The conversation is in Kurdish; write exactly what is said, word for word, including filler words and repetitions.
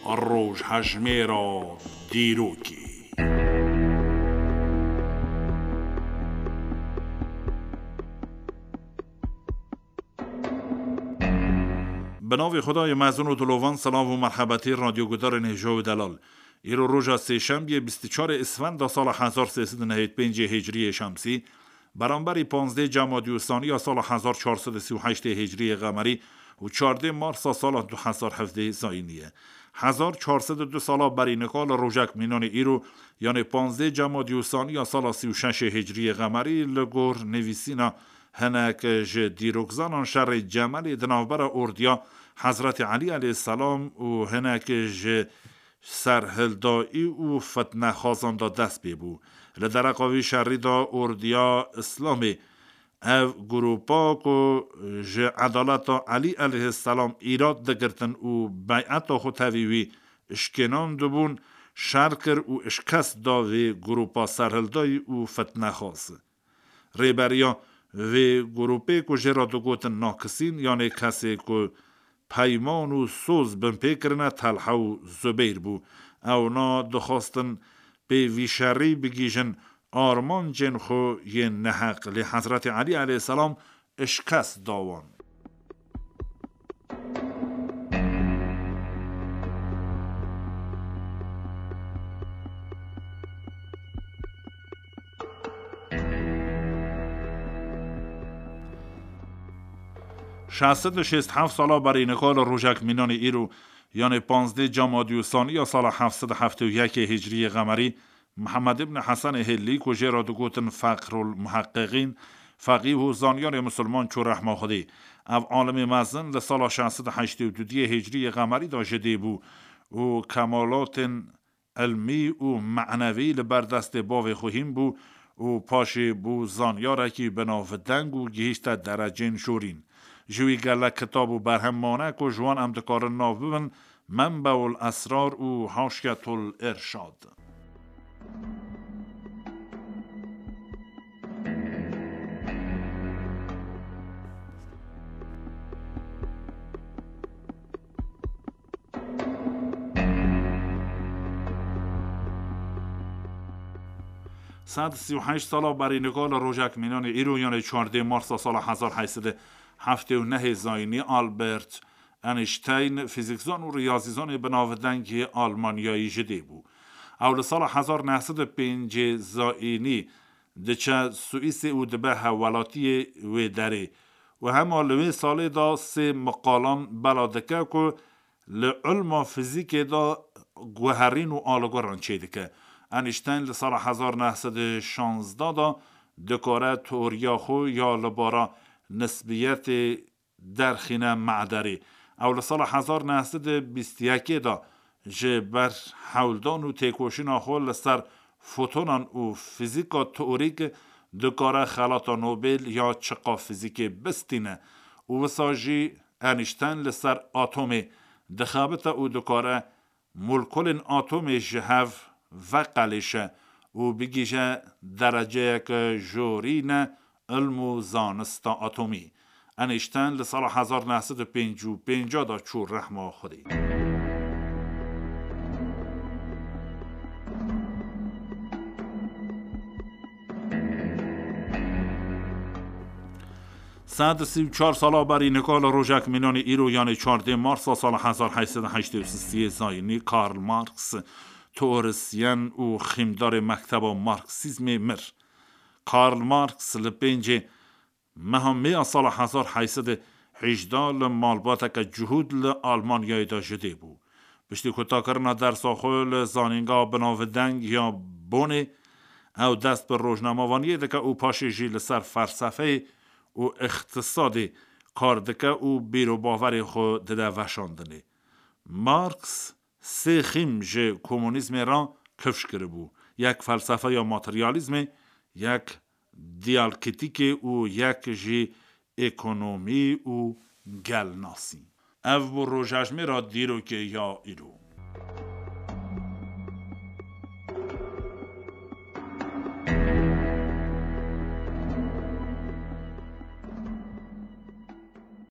Rojhejmêra dîrokê. Bi navê Xwedayê mezin û dilovan, silav û merhebetê radyogudarên hêja û delal. Îro roja sêşembiyê, bîst û çarê Isfenda sala hezar sê sed û nehêd pêncê Hicriyê Şemsî, beramberî panzdê Cemadî û Saniya sala hezar çar sed û sî û heştê Hicriyê Qemerî û çardê Marsa sala du hezar hevdeh Zayînî ye. Hezar çar sed û du sala berî nika li rojek mînanê îro, yanê panzdê Cemadî û Saniya sala sî û şeşê Hicriyê Qemerî, li gor nivîsîna hinek ji dîrokzanan, şerê Cemelê di navbera ordiya Hezretî Elî aleyhisselam û hinek ji serhildayî û fitnexwazan de dest pê bû. Li dereqa vî şerî de ordiya Îslamê, ev grûpa ku ji edaleta Elî aleyhisselam îrad digirtin û beyeta xwe tevî wî şikênandibûn, şer kir û şikest da vê grûpa serhildayî û fitnexwaz. Rêberiya vê grûpê ku jê re digotin nakisîn, yanê kesê ku peyman û soz binpê kirine, Telha û Zubeyr bû. Ewna dixwastin pê vî şerî bigihîjin armancên xwe yên neheq, lê Hezretî Elî aleyhisselam şikest da wan. Şeş sed û şêst heft sala berî nika li rojek mînanê îro, yanê panzdê Cemadî û Saniya sala heft sed û heftê û yekê Hicriyê Qemerî, Mihemed ibn Hesenê Hêlî, ku jê re digotin Feqrul Muheqqiqîn, feqîh û zanyarê misilman çû rehma Xwedê. Ev alimê mezin li sala şeş sed û heştê û duyê Hicriyê Qemerî de ji dê bû û kemalatên ilmî û menevî li ber destê bavê xwe hîn bû û paşê bû zanyarekî bi navdeng û gihîşte derecên jorîn. Ji wî gelek kitab û berhem mane ku ji wan em dikarin nav bibin, Menbeul Esrar û Haşiyetul Irşad. Sed sî û heşt sala berî nika li rojek mînanê îro, yanê çardê Marsa sala hezar heyt sed û heftê û nehê Zayînî, Albert Einstein, fîzîkzan û riyazîzanê bi navdengê Almanyayî ji dê bû. Ew li sala hezar neh sed û pêncê Zayînî diçe Swîsê û dibe hevwelatiyê wê derê û hema li wê salê de sê miqalan bela dike ku li ilma fîzîkê de guherîn û alîgoran çêdike. Einstein li sala hezar neh sed û şazdeh de dikare teoriya xwe ya li bara nisbiyetê derxîne mederê. Ew li sala hezar neh sed û bîst û yekê de ji ber hewldan û têkoşîna xwe li ser fotonan û fîzîka teorîk dikare xelata Nobel ya çiqa fîzîkê bistîne û wisa jî Einstein li ser atomê dixebite û dikare molkulên atomê ji hev veqelêşe û bigihîje dereceyeke jorîne ilm û zanista atomî. Einstein li sala hezar neh sed û pêncî û pênc de çû rehma Xwedê. Sed û sî û çar sala berî nika li rojek mînanê îro, yanê çardê Marsa sala hezar heyt sed û heştê û sisiyê Zayînî, Karl Marx, teorisyen û xîmdarê mekteba Marksîzmê, mir. Karl Marx li pêncê meha Meya sala hezar heyt sed û hejdeh li malbateke cihûd li Almanyayê de ji dê bû. Piştî kutakirina dersa xwe li zanîngeha binavdeng ya Bonê, ew dest bi rojnamevaniyê dike û paşê jî li ser felsefeyê û îqtisadê kar dike û bîr û bawerê xwe dide veşandinê. Marx sê xîm ji komunîzmê re kifş kiribû, yek felsefeya materyalîzmê, yek diyalktîkê û yek jî ekonomî û gelnasî. Ev bû rojejmêra dîrokê ya îro.